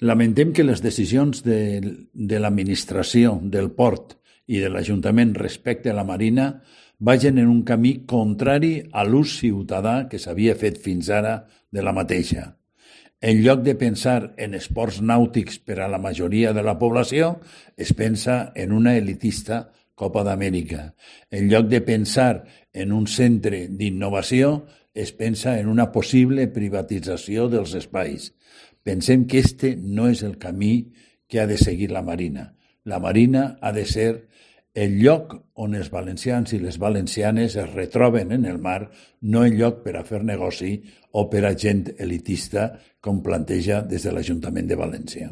Lamentem que les decisions de l'administració, del port i de l'Ajuntament respecte a la Marina vagin en un camí contrari a l'ús ciutadà que s'havia fet fins ara de la mateixa. En lloc de pensar en esports nàutics per a la majoria de la població, es pensa en una elitista Copa d'Amèrica. En lloc de pensar en un centre d'innovació, es pensa en una possible privatització dels espais. Pensem que este no és el camí que ha de seguir la Marina. La Marina ha de ser el lloc on els valencians i les valencianes es retroben en el mar, no el lloc per a fer negoci o per a gent elitista, com planteja des de l'Ajuntament de València.